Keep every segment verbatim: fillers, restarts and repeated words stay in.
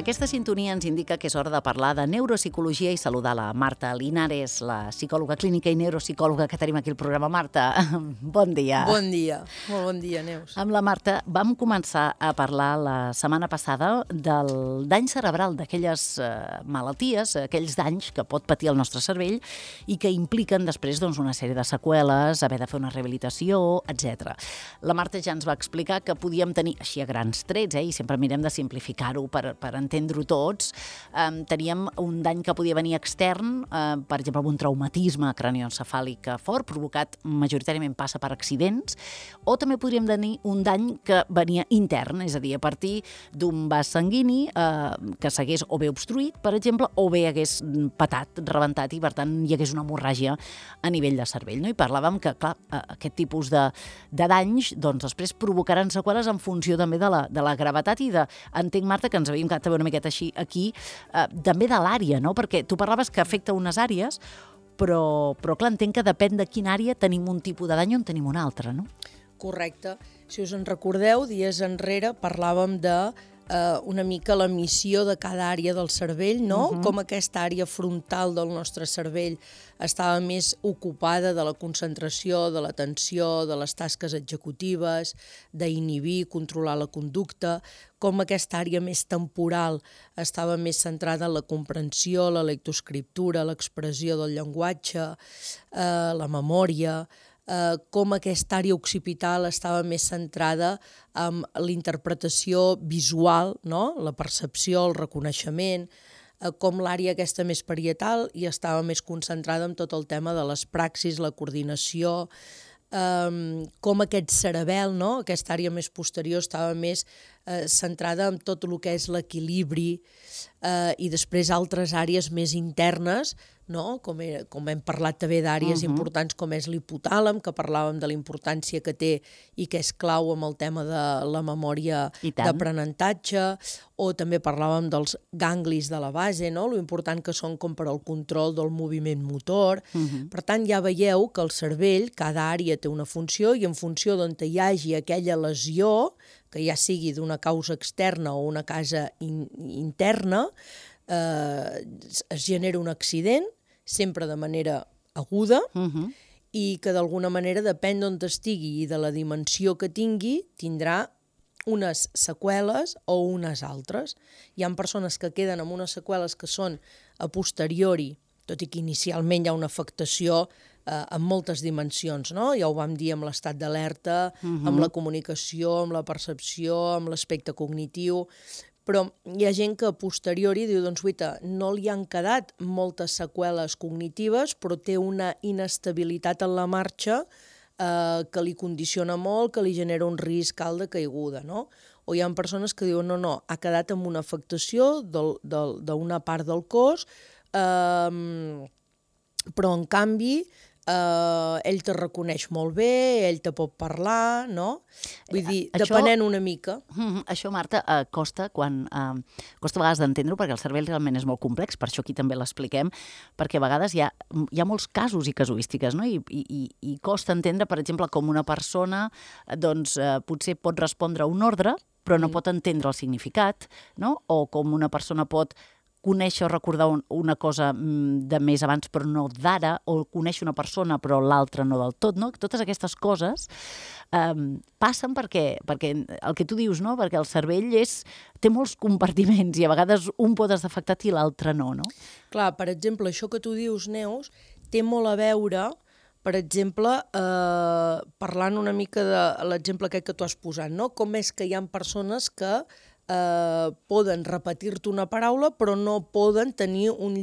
Aquesta sintonia ens indica que és hora de parlar de neuropsicologia i saludar la Marta Linares, la psicòloga clínica i neuropsicòloga que tenim aquí al programa. Marta, bon dia. Bon dia, molt bon dia, Neus. Amb la Marta vam començar a parlar la setmana passada del dany cerebral, d'aquelles eh, malalties, aquells danys que pot patir el nostre cervell i que impliquen després doncs, una sèrie de seqüeles, haver de fer una rehabilitació, etcètera. La Marta ja ens va explicar que podíem tenir, així a grans trets, eh, i sempre mirem de simplificar-ho per, per entendre-ho tots, eh, teníem un dany que podia venir extern, eh, per exemple, amb un traumatisme cranioencefàlic fort, provocat majoritàriament passa per accidents, o també podríem tenir un dany que venia intern, és a dir, a partir d'un vas sanguini eh, que s'hagués o bé obstruït, per exemple, o bé hagués patat, rebentat, i per tant hi hagués una hemorràgia a nivell de cervell. No? I parlàvem que, clar, aquest tipus de, de danys doncs, després provocaran seqüeles en funció també de la, de la gravetat i de, entenc, Marta, que ens havíem quedat una miqueta així aquí, eh, també de l'àrea, no? Perquè tu parlaves que afecta unes àrees, però, però clar, entenc que depèn de quina àrea tenim un tipus de dany o en tenim un altre, no? Correcte. Si us en recordeu, dies enrere parlàvem de eh, una mica la missió de cada àrea del cervell, no? Uh-huh. Com aquesta àrea frontal del nostre cervell estava més ocupada de la concentració, de l'atenció, de les tasques executives, d'inhibir, controlar la conducta, com aquesta àrea més temporal estava més centrada en la comprensió, la lectoescriptura, l'expressió del llenguatge, eh, la memòria, eh, com aquesta àrea occipital estava més centrada en l'interpretació visual, no? La percepció, el reconeixement, eh, com l'àrea aquesta més parietal i estava més concentrada en tot el tema de les praxis, la coordinació, Um, com aquest cerebel, no? Aquesta àrea més posterior estava més eh, centrada en tot el que és l'equilibri eh, i després altres àrees més internes, no? Com, era, com hem parlat també d'àrees uh-huh. importants com és l'hipotàlem, que parlàvem de la importància que té i que és clau amb el tema de la memòria d'aprenentatge, o també parlàvem dels ganglis de la base, no? Lo important que són com per al control del moviment motor. Uh-huh. Per tant, ja veieu que el cervell, cada àrea té una funció i en funció d'on hi hagi aquella lesió, que ja sigui d'una causa externa o una causa in interna, eh, es genera un accident, sempre de manera aguda, uh-huh. i que d'alguna manera, depèn d'on estigui i de la dimensió que tingui, tindrà unes seqüeles o unes altres. Hi ha persones que queden amb unes seqüeles que són a posteriori, tot i que inicialment hi ha una afectació eh, en moltes dimensions, no? Ja ho vam dir amb l'estat d'alerta, uh-huh. amb la comunicació, amb la percepció, amb l'aspecte cognitiu, però hi ha gent que a posteriori diu, doncs, guaita, no li han quedat moltes seqüeles cognitives, però té una inestabilitat en la marxa eh, que li condiciona molt, que li genera un risc alt de caiguda, no? O hi ha persones que diuen, no, no, ha quedat amb una afectació d'una part del cos, eh, però en canvi Uh, ell te reconeix molt bé, ell te pot parlar, no? Vull dir, això, depenent una mica. Uh, això, Marta, uh, costa quan uh, costa a vegades d'entendre-ho, perquè el cervell realment és molt complex, per això aquí també l'expliquem, perquè a vegades hi ha, hi ha molts casos i casuístiques, no? I, i, i costa entendre, per exemple, com una persona doncs, uh, potser pot respondre a un ordre, però no mm. pot entendre el significat, no? O com una persona pot conèixer o recordar un, una cosa de més abans però no d'ara, o conèixer una persona però l'altra no del tot, no? Totes aquestes coses eh, passen perquè, perquè el que tu dius, no? Perquè el cervell és, té molts compartiments i a vegades un pot estar afectat i l'altre no, no? Clar, per exemple, això que tu dius, Neus, té molt a veure, per exemple, eh, parlant una mica de l'exemple aquest que tu has posat, no? Com és que hi ha persones que Eh, poden repetir-te una paraula però no poden tenir un,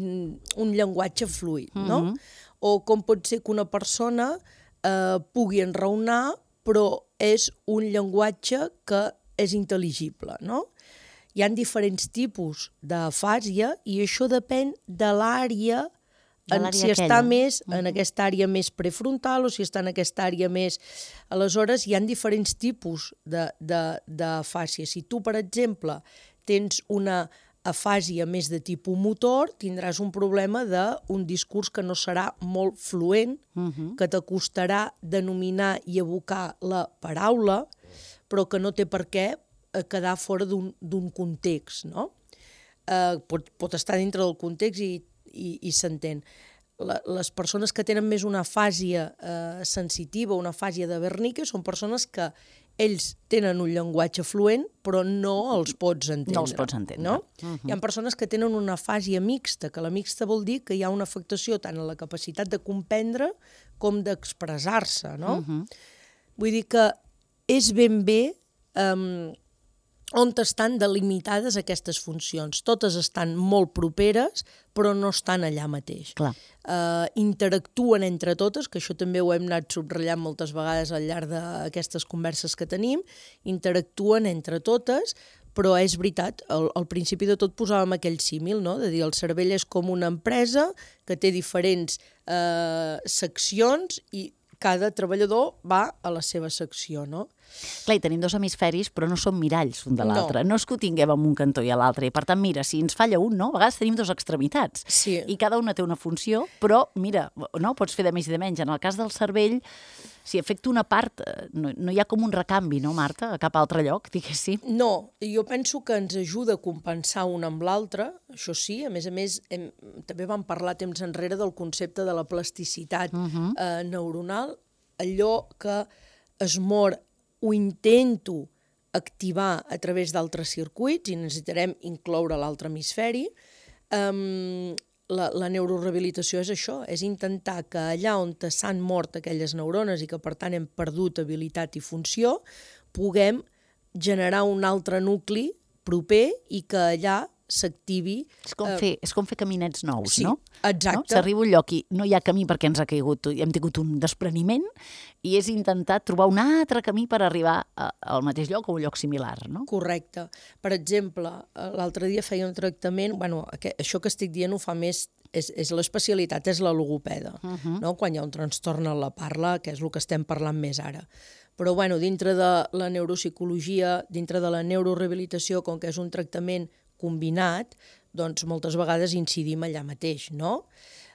un llenguatge fluid, no? Mm-hmm. O com pot ser que una persona eh, pugui enraonar però és un llenguatge que és intel·ligible, no? Hi ha diferents tipus d'afàsia i això depèn de l'àrea, en si aquella. Està més en uh-huh. aquesta àrea més prefrontal o si està en aquesta àrea més... Aleshores, hi ha diferents tipus d'afàsia. Si tu, per exemple, tens una afàsia més de tipus motor, tindràs un problema d'un discurs que no serà molt fluent, uh-huh. que t'acostarà denominar i evocar la paraula, però que no té per què quedar fora d'un context, no? eh, pot, pot estar dintre del context i, i, i s'entén. Les persones que tenen més una fàsia eh, sensitiva, una fàsia de Wernicke, són persones que ells tenen un llenguatge fluent, però no els pots entendre. No els pots entendre. No? Uh-huh. Hi ha persones que tenen una fàsia mixta, que la mixta vol dir que hi ha una afectació tant en la capacitat de comprendre com d'expressar-se, no? Uh-huh. Vull dir que és ben bé um, on estan delimitades aquestes funcions. Totes estan molt properes, però no estan allà mateix. Clar. Uh, interactuen entre totes, que això també ho hem anat subratllant moltes vegades al llarg d'aquestes converses que tenim, interactuen entre totes, però és veritat, al, al principi de tot posàvem aquell símil, no? De dir, el cervell és com una empresa que té diferents uh, seccions i cada treballador va a la seva secció, no? Clar, i tenim dos hemisferis, però no som miralls un de l'altre. No. no és que ho tinguem en un cantó i a l'altre. I per tant, mira, si ens falla un, no? A vegades tenim dues extremitats. Sí. I cada una té una funció, però, mira, no? Pots fer de més i de menys. En el cas del cervell, si afecta una part, no, no hi ha com un recanvi, no, Marta? A cap altre lloc, diguéssim. No, jo penso que ens ajuda a compensar un amb l'altre, això sí. A més a més, hem, també vam parlar temps enrere del concepte de la plasticitat uh-huh. eh, neuronal, allò que es mor ho intento activar a través d'altres circuits i necessitarem incloure l'altre hemisferi. Um, la, la neurorehabilitació és això, és intentar que allà on s'han mort aquelles neurones i que per tant hem perdut habilitat i funció, puguem generar un altre nucli proper i que allà s'activi. És com, fer, és com fer caminets nous, sí, no? Exacte. No? S'arriba a un lloc i no hi ha camí perquè ens ha caigut, hem tingut un despreniment i és intentar trobar un altre camí per arribar a, al mateix lloc o un lloc similar, no? Correcte. Per exemple, l'altre dia feia un tractament, bueno, això que estic dient ho fa més, és, és l'especialitat, és la logopeda, uh-huh. no? Quan hi ha un trastorn en la parla, que és el que estem parlant més ara. Però bueno, dintre de la neuropsicologia, dintre de la neurorehabilitació, com que és un tractament combinat, doncs moltes vegades incidim allà mateix, no?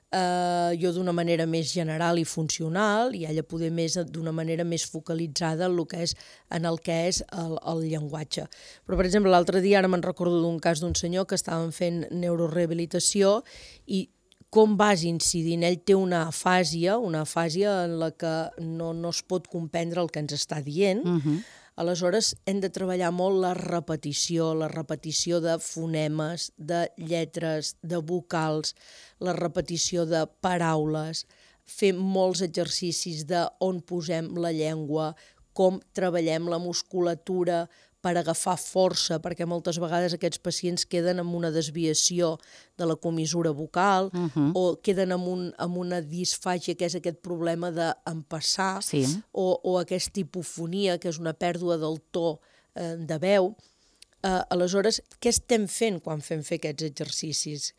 Uh, jo d'una manera més general i funcional i ella poder més d'una manera més focalitzada en el que és, en el que és el, el llenguatge. Però, per exemple, l'altre dia ara me'n recordo d'un cas d'un senyor que estaven fent neurorehabilitació i com vas incidint? Ell té una afàsia, una afàsia en la que no, no es pot comprendre el que ens està dient. Uh-huh. Aleshores, hem de treballar molt la repetició, la repetició de fonemes, de lletres, de vocals, la repetició de paraules, fer molts exercicis de on posem la llengua, com treballem la musculatura per agafar força, perquè moltes vegades aquests pacients queden amb una desviació de la comissura vocal uh-huh. o queden amb, un, amb una disfàgia, que és aquest problema d'empassar, sí. o, o aquesta hipofonia, que és una pèrdua del to eh, de veu. Eh, aleshores, què estem fent quan fem fer aquests exercicis?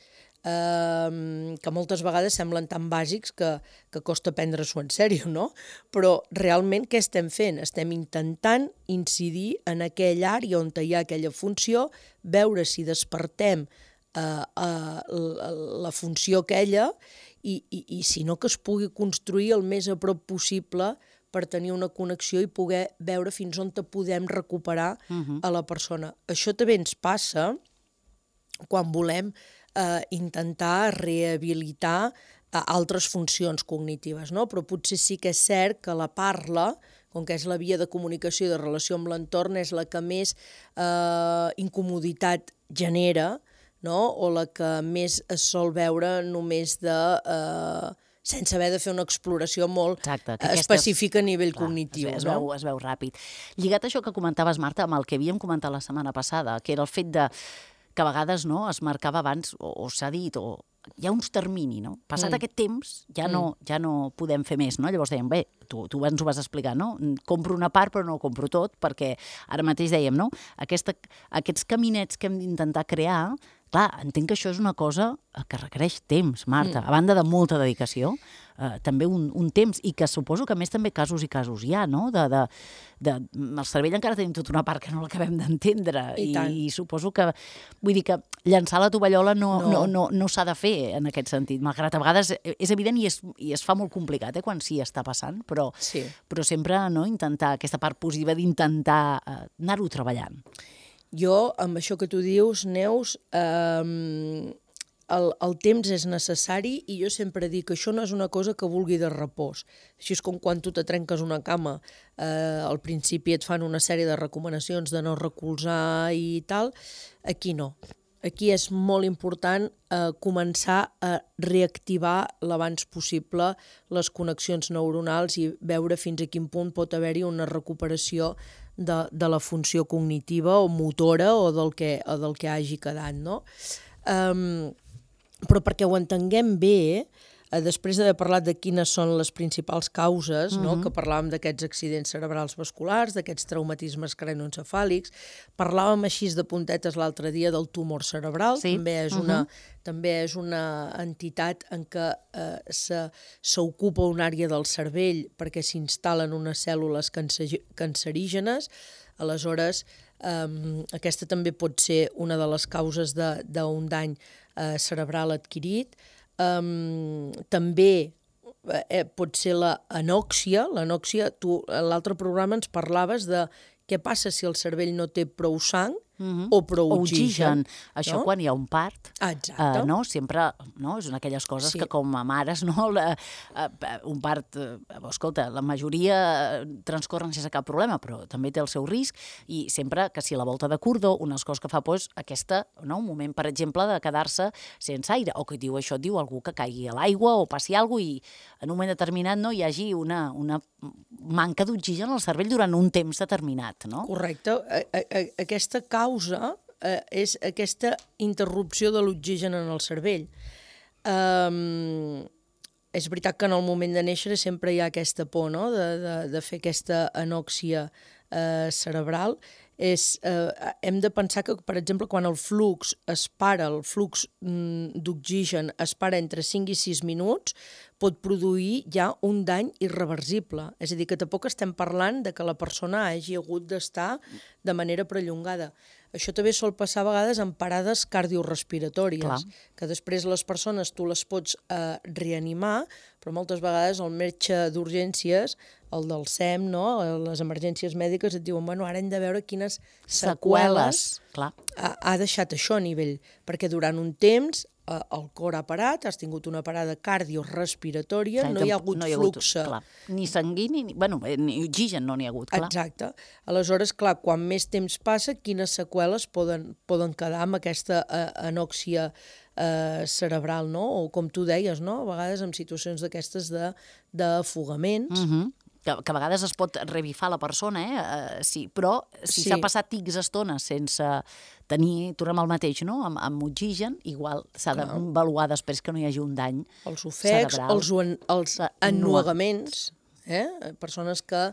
Uh, que moltes vegades semblen tan bàsics que, que costa prendre-s'ho en sèrio, no? Però realment què estem fent? Estem intentant incidir en aquella àrea on hi ha aquella funció, veure si despertem uh, uh, la, la funció aquella i, i, i si no que es pugui construir el més a prop possible per tenir una connexió i poder veure fins on te podem recuperar uh-huh. a la persona. Això també ens passa quan volem Uh, intentar rehabilitar uh, altres funcions cognitives, no? Però potser sí que és cert que la parla, com que és la via de comunicació i de relació amb l'entorn, és la que més uh, incomoditat genera, no? O la que més es sol veure només de... Uh, sense haver de fer una exploració molt Exacte, específica aquestes... a nivell Clar, cognitiu. Es, es, no? veu, es veu ràpid. Lligat a això que comentaves, Marta, amb el que havíem comentat la setmana passada, que era el fet de que a vegades no, es marcava abans, o, o s'ha dit, o hi ha uns termini, no? Passat mm. aquest temps, ja no, mm. ja no podem fer més, no? Llavors dèiem, bé, tu, tu ens ho vas explicar, no? Compro una part però no compro tot, perquè ara mateix dèiem, no? Aquesta, aquests caminets que hem d'intentar crear, clar, entenc que això és una cosa que requereix temps, Marta, mm. a banda de molta dedicació, eh, també un, un temps, i que suposo que a més també casos i casos hi ha, no? De, de, de, el cervell encara tenim tota una part que no l'acabem d'entendre, i, i, i suposo que, vull dir que llançar la tovallola no, no. no, no, no s'ha de fer en aquest sentit, malgrat a vegades és evident i es, i es fa molt complicat eh, quan sí està passant, però, sí. però sempre no, intentar aquesta part positiva d'intentar eh, anar-ho treballant. Jo, amb això que tu dius, Neus, eh, el, el temps és necessari i jo sempre dic que això no és una cosa que vulgui de repòs. Així és com quan tu te trenques una cama, eh, al principi et fan una sèrie de recomanacions de no recolzar i tal. Aquí no. Aquí és molt important eh, començar a reactivar l'abans possible les connexions neuronals i veure fins a quin punt pot haver-hi una recuperació de, de la funció cognitiva o motora o del que, o del que hagi quedat, no? Um, però perquè ho entenguem bé, eh, després d'haver parlat de quines són les principals causes, mm-hmm. no? Que parlàvem d'aquests accidents cerebrals vasculars, d'aquests traumatismes cranoencefàlics, parlàvem així de puntetes l'altre dia del tumor cerebral, sí. també, és una, mm-hmm. també és una entitat en què eh, s'ocupa una àrea del cervell perquè s'instal·len unes cèl·lules cancer cancerígenes. Aleshores, eh, aquesta també pot ser una de les causes d'un dany eh, cerebral adquirit. Um, també eh, pot ser l'anòxia. L'anòxia, tu a l'altre programa ens parlaves de què passa si el cervell no té prou sang mm-hmm. o prou o oxigen. oxigen. Això no? quan hi ha un part, ah, eh, no? sempre no? és una d'aquelles coses sí. que com a mares, no? la, eh, un part, eh, escolta, la majoria transcorren sense cap problema, però també té el seu risc, i sempre que si la volta de cordó, una de les coses que fa pues, aquesta, no? un moment, per exemple, de quedar-se sense aire, o que diu això, diu algú que caigui a l'aigua o passi alguna cosa i en un moment determinat no hi hagi una, una manca d'oxigen al cervell durant un temps determinat. No? Correcte. A, a, aquesta causa eh, és aquesta interrupció de l'oxigen en el cervell. Um, és veritat que en el moment de néixer sempre hi ha aquesta por, no? de, de, de fer aquesta anòxia eh, cerebral. És, eh, hem de pensar que, per exemple, quan el flux es para, el flux mm, d'oxigen es para entre cinc i sis minuts, pot produir ja un dany irreversible. És a dir, que tampoc estem parlant de que la persona hagi hagut d'estar de manera prellongada. Això també sol passar a vegades en parades cardiorespiratòries, Clar. que després les persones tu les pots eh, reanimar, però moltes vegades el metge d'urgències, el del S E M, no? les emergències mèdiques, et diuen, bueno, ara hem de veure quines seqüeles, seqüeles. Clar. Ha, ha deixat això a nivell, perquè durant un temps eh, el cor ha parat, has tingut una parada cardiorespiratòria, no hi ha hagut, no hi ha flux. Hagut, ni sanguini, ni, bueno, ni oxigen no n'hi ha hagut, clar. Exacte. Aleshores, clar, quan més temps passa, quines seqüeles poden, poden quedar amb aquesta eh, anòxia eh, cerebral, no? O com tu deies, no? A vegades en situacions d'aquestes d'afogaments. Mm-hmm. Que, que a vegades es pot revifar la persona, eh? Uh, sí, però si s'ha sí. passat X estona sense tenir, tornem al mateix, no? Amb, amb oxigen, igual s'ha d'avaluar després que no hi hagi un dany els ofecs, cerebral. Els, en, els ennuegaments, eh? Persones que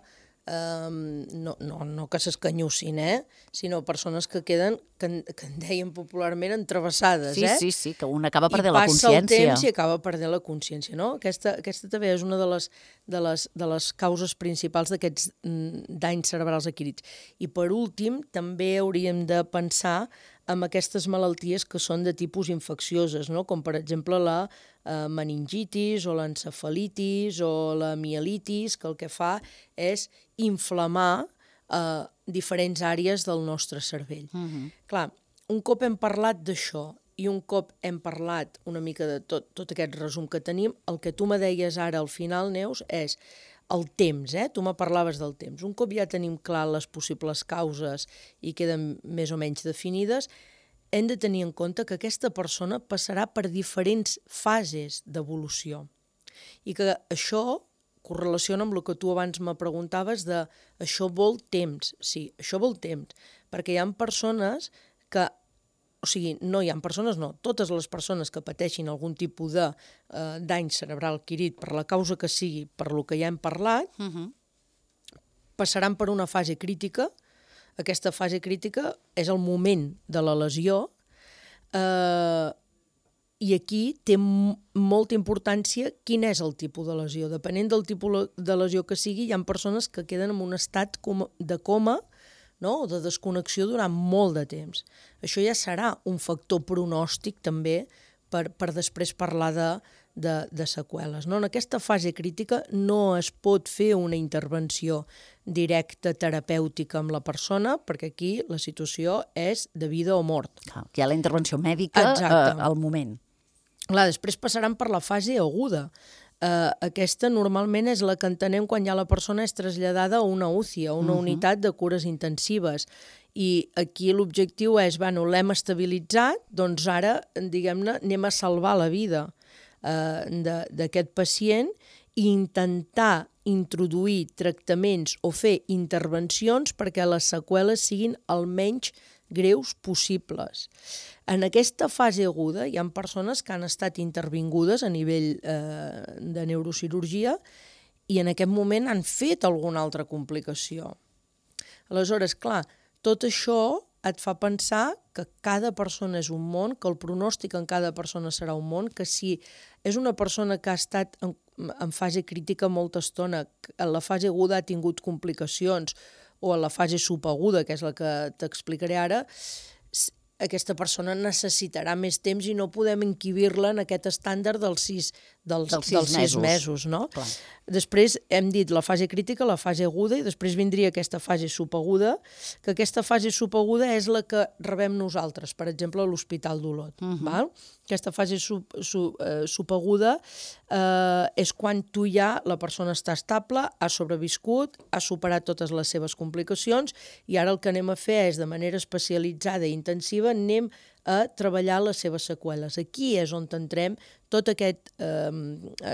eh, no, no, no que s'escanyussin, eh? Sinó persones que queden, que, que en deien popularment, entrevessades. Sí, eh? sí, sí, que un acaba perdent la consciència. I passa el temps i acaba perdent la consciència, no? Aquesta, aquesta també és una de les, de les, de les causes principals d'aquests mm, danys cerebrals adquirits. I per últim, també hauríem de pensar en aquestes malalties que són de tipus infeccioses, no? Com per exemple la eh, meningitis o l'encefalitis o la mielitis, que el que fa és inflamar eh, diferents àrees del nostre cervell. Mm-hmm. Clar, un cop hem parlat d'això i un cop hem parlat una mica de tot, tot aquest resum que tenim, el que tu me deies ara al final, Neus, és el temps, eh? Tu me parlaves del temps. Un cop ja tenim clar les possibles causes i queden més o menys definides, hem de tenir en compte que aquesta persona passarà per diferents fases d'evolució i que això correlaciona amb el que tu abans me preguntaves de això vol temps. Sí, això vol temps, perquè hi ha persones que, o sigui, no hi ha persones, no, totes les persones que pateixin algun tipus de eh, dany cerebral adquirit per la causa que sigui, per lo que ja hem parlat, uh-huh. passaran per una fase crítica. Aquesta fase crítica és el moment de la lesió eh, i aquí té m- molta importància quin és el tipus de lesió. Depenent del tipus de lesió que sigui, hi ha persones que queden en un estat com de coma, no? O de desconnexió durant molt de temps. Això ja serà un factor pronòstic també per, per després parlar de, de, de seqüeles. No? En aquesta fase crítica no es pot fer una intervenció directa terapèutica amb la persona, perquè aquí la situació és de vida o mort. Clar, hi ha la intervenció mèdica eh, al moment. Clar, després passaran per la fase aguda. Uh, aquesta normalment és la que entenem quan ja la persona és traslladada a una U C I, a una uh -huh. unitat de cures intensives. I aquí l'objectiu és, bueno, l'hem estabilitzat, doncs ara, diguem-ne, anem a salvar la vida uh, d'aquest pacient i intentar introduir tractaments o fer intervencions perquè les seqüeles siguin el menys greus possibles. En aquesta fase aguda hi ha persones que han estat intervingudes a nivell eh, de neurocirurgia i en aquest moment han fet alguna altra complicació. Aleshores, clar, tot això et fa pensar que cada persona és un món, que el pronòstic en cada persona serà un món, que si és una persona que ha estat en, en fase crítica molta estona, en la fase aguda ha tingut complicacions, o a la fase subaguda, que és la que t'explicaré ara, aquesta persona necessitarà més temps i no podem encabir-la en aquest estàndard dels sis, dels, dels sis, dels sis mesos. mesos no? Clar. Després hem dit la fase crítica, la fase aguda, i després vindria aquesta fase subaguda, que aquesta fase subaguda és la que rebem nosaltres, per exemple, a l'Hospital d'Olot. Uh -huh. Val? Aquesta fase sub, sub, eh, subaguda eh, és quan tu ja, la persona està estable, ha sobreviscut, ha superat totes les seves complicacions, i ara el que anem a fer és, de manera especialitzada i intensiva, anem a treballar les seves seqüeles. Aquí és on entrem tot aquest, eh,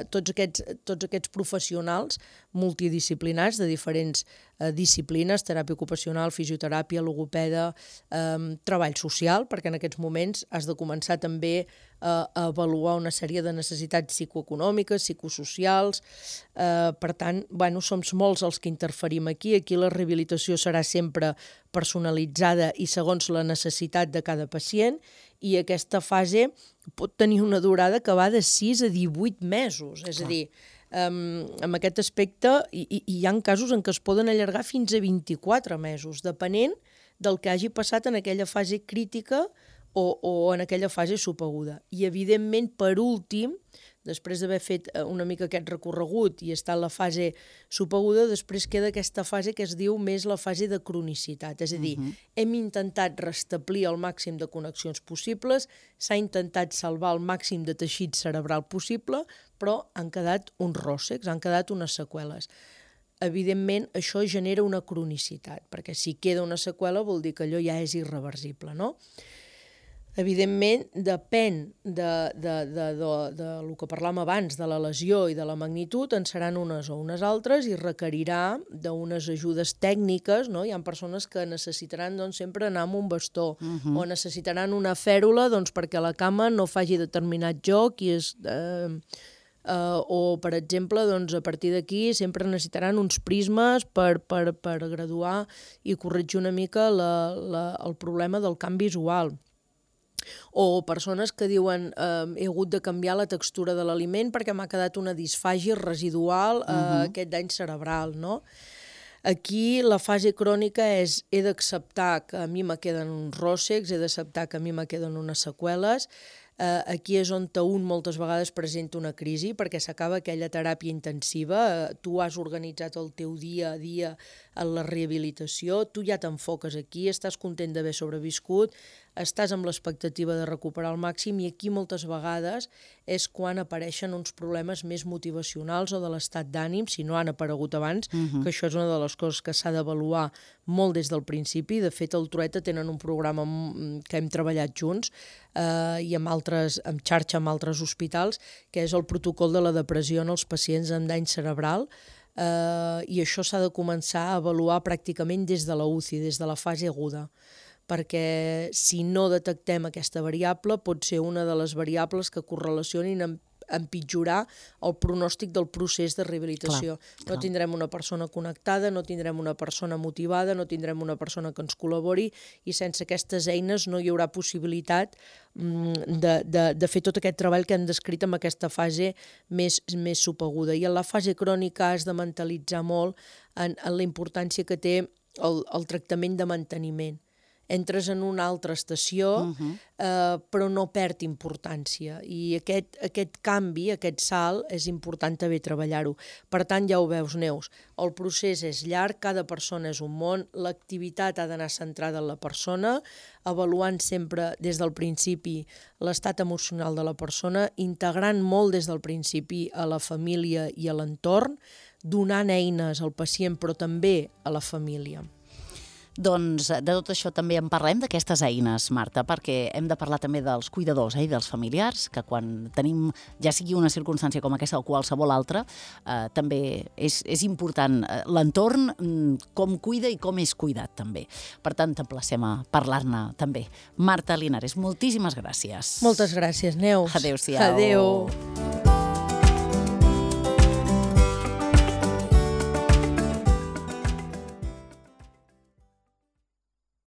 tots, aquests, tots aquests professionals multidisciplinars de diferents eh, disciplines, teràpia ocupacional, fisioteràpia, logopeda, eh, treball social, perquè en aquests moments has de començar també a, a avaluar una sèrie de necessitats psicoeconòmiques, psicosocials. Eh, per tant, bueno, som molts els que interferim aquí. Aquí la rehabilitació serà sempre personalitzada i segons la necessitat de cada pacient, i aquesta fase pot tenir una durada que va de sis a divuit mesos. És a dir, um, en aquest aspecte hi, hi, hi ha casos en què es poden allargar fins a vint-i-quatre mesos, depenent del que hagi passat en aquella fase crítica o, o en aquella fase subaguda. I, evidentment, per últim, després d'haver fet una mica aquest recorregut i estar en la fase subaguda, després queda aquesta fase que es diu més la fase de cronicitat. És a dir, uh -huh. hem intentat restablir el màxim de connexions possibles, s'ha intentat salvar el màxim de teixit cerebral possible, però han quedat uns ròssecs, han quedat unes seqüeles. Evidentment, això genera una cronicitat, perquè si queda una seqüela vol dir que allò ja és irreversible, no? Evidentment, depèn de, de, de, de, de del que parlàvem abans, de la lesió i de la magnitud, en seran unes o unes altres i requerirà d'unes ajudes tècniques, no? Hi ha persones que necessitaran doncs, sempre anar amb un bastó, uh -huh. o necessitaran una fèrula doncs, perquè la cama no faci determinat joc i és... Eh, Uh, o, per exemple, doncs, a partir d'aquí sempre necessitaran uns prismes per, per, per graduar i corregir una mica la, la, el problema del camp visual. O persones que diuen eh, he hagut de canviar la textura de l'aliment perquè m'ha quedat una disfàgia residual, eh, uh-huh. aquest dany cerebral, no? Aquí la fase crònica és he d'acceptar que a mi me queden uns ròssecs, he d'acceptar que a mi me queden unes seqüeles. Uh, aquí és on un moltes vegades presenta una crisi perquè s'acaba aquella teràpia intensiva, uh, tu has organitzat el teu dia a dia en la rehabilitació, tu ja t'enfoques aquí, estàs content d'haver sobreviscut, estàs amb l'expectativa de recuperar al màxim i aquí moltes vegades és quan apareixen uns problemes més motivacionals o de l'estat d'ànim, si no han aparegut abans, uh-huh. que això és una de les coses que s'ha d'avaluar molt des del principi. De fet, el Trueta tenen un programa que hem treballat junts eh, i amb altres, amb xarxa amb altres hospitals, que és el protocol de la depressió en els pacients amb dany cerebral, eh, i això s'ha de començar a avaluar pràcticament des de la U C I, des de la fase aguda, perquè si no detectem aquesta variable pot ser una de les variables que correlacionin amb empitjorar el pronòstic del procés de rehabilitació. Clar, clar. No tindrem una persona connectada, no tindrem una persona motivada, no tindrem una persona que ens col·labori i sense aquestes eines no hi haurà possibilitat de, de, de fer tot aquest treball que hem descrit en aquesta fase més, més subaguda. I en la fase crònica has de mentalitzar molt en, en la importància que té el, el tractament de manteniment. entres en una altra estació, uh-huh. eh, però no perd importància. I aquest, aquest canvi, aquest salt, és important també treballar-ho. Per tant, ja ho veus, Neus, el procés és llarg, cada persona és un món, l'activitat ha d'anar centrada en la persona, avaluant sempre des del principi l'estat emocional de la persona, integrant molt des del principi a la família i a l'entorn, donant eines al pacient però també a la família. Doncs de tot això també en parlem, d'aquestes eines, Marta, perquè hem de parlar també dels cuidadors eh, i dels familiars, que quan tenim, ja sigui una circumstància com aquesta o qualsevol altra, eh, també és, és important l'entorn, com cuida i com és cuidat també. Per tant, t'emplacem a parlar-ne també. Marta Linares, moltíssimes gràcies. Moltes gràcies, Neus. Adéu-siau. Adéu.